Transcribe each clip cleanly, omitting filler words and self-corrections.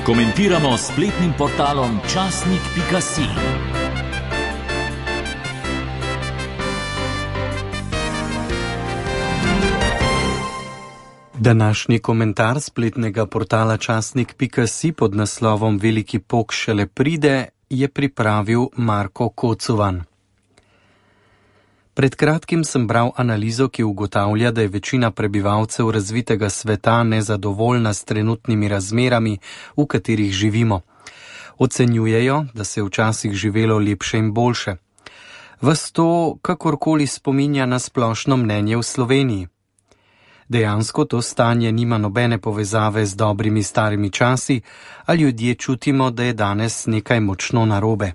Komentiramo s spletnim portalom časnik.si. Današnji komentar spletnega portala časnik.si pod naslovom Veliki pok šele pride je pripravil Marko Kocovan. Pred kratkim sem bral analizo, ki ugotavlja, da je večina prebivalcev razvitega sveta nezadovoljna s trenutnimi razmerami, v katerih živimo. Ocenjujejo, da se je včasih živelo lepše in boljše. Vas to kakorkoli spominja na splošno mnenje v Sloveniji. Dejansko to stanje nima nobene povezave z dobrimi starimi časi, a ljudje čutimo, da je danes nekaj močno narobe.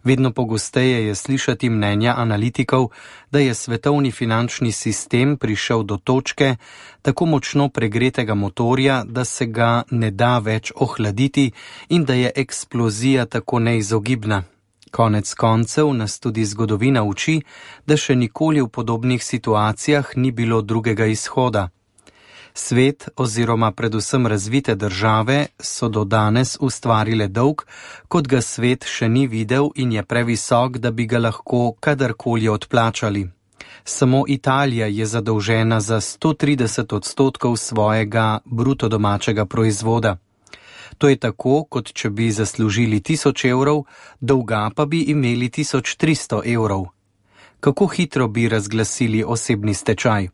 Vedno pogosteje je slišati mnenja analitikov, da je svetovni finančni sistem prišel do točke tako močno pregretega motorja, da se ga ne da več ohladiti in da je eksplozija tako neizogibna. Konec koncev nas tudi zgodovina uči, da še nikoli v podobnih situacijah ni bilo drugega izhoda. Svet oziroma predvsem razvite države so do danes ustvarile dolg, kot ga svet še ni videl in je previsok, da bi ga lahko kadarkoli odplačali. Samo Italija je zadolžena za 130% svojega bruto domačega proizvoda. To je tako, kot če bi zaslužili 1000 evrov, dolga pa bi imeli 1300 evrov. Kako hitro bi razglasili osebni stečaj?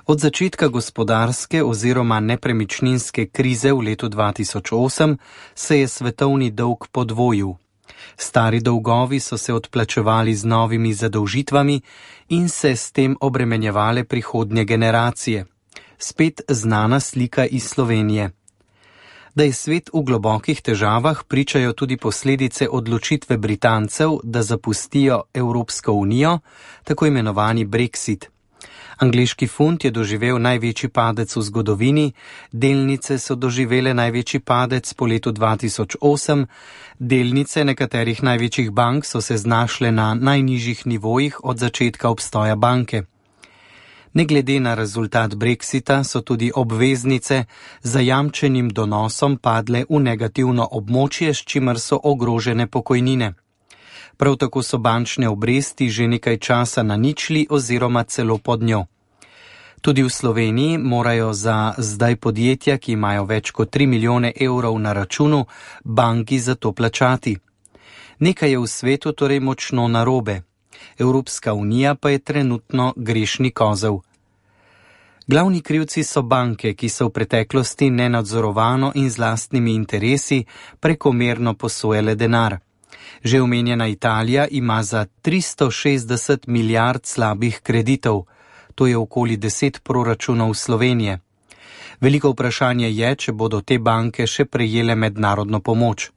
Od začetka gospodarske oziroma nepremičninske krize v letu 2008 se je svetovni dolg podvojil. Stari dolgovi so se odplačevali z novimi zadolžitvami in se s tem obremenjevale prihodnje generacije. Spet znana slika iz Slovenije. Da je svet v globokih težavah, pričajo tudi posledice odločitve Britancev, da zapustijo Evropsko unijo, tako imenovani Brexit. Angleški funt je doživel največji padec v zgodovini, delnice so doživele največji padec po letu 2008, delnice nekaterih največjih bank so se znašle na najnižjih nivojih od začetka obstoja banke. Ne glede na rezultat Brexita so tudi obveznice z zajamčenim donosom padle v negativno območje, s čimer so ogrožene pokojnine. Prav tako so bančne obresti že nekaj časa na ničli oziroma celo pod njo. Tudi v Sloveniji morajo za zdaj podjetja, ki imajo več kot 3 milijone evrov na računu, banki za to plačati. Nekaj je v svetu torej močno narobe. Evropska unija pa je trenutno grešni kozel. Glavni krivci so banke, ki so v preteklosti nenadzorovano in z lastnimi interesi prekomerno posojale denar. Že omenjena Italija ima za 360 milijard slabih kreditov, to je okoli 10 proračunov Slovenije. Veliko vprašanje je, če bodo te banke še prejele mednarodno pomoč.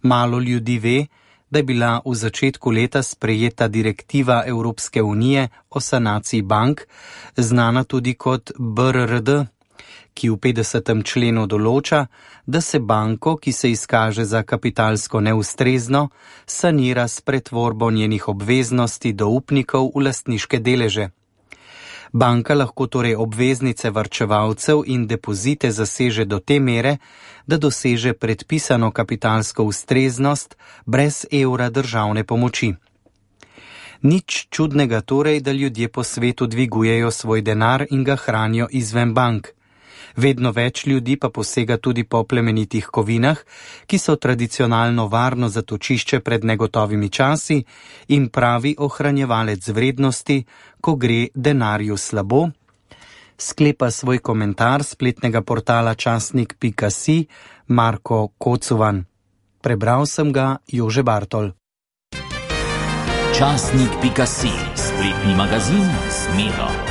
Malo ljudi ve, da je bila v začetku leta sprejeta direktiva Evropske unije o sanaciji bank, znana tudi kot BRRD, ki v 50. členu določa, da se banko, ki se izkaže za kapitalsko neustrezno, sanira s pretvorbo njenih obveznosti do upnikov v lastniške deleže. Banka lahko torej obveznice varčevalcev in depozite zaseže do te mere, da doseže predpisano kapitalsko ustreznost brez evra državne pomoči. Nič čudnega torej, da ljudje po svetu dvigujejo svoj denar in ga hranijo izven bank. Vedno več ljudi pa posega tudi po plemenitih kovinah, ki so tradicionalno varno zatočišče pred negotovimi časi in pravi ohranjevalec vrednosti, ko gre denarju slabo, sklepa svoj komentar spletnega portala časnik.si Marko Kocovan. Prebral sem ga Jože Bartol. Časnik.si, spletni magazin s Miro.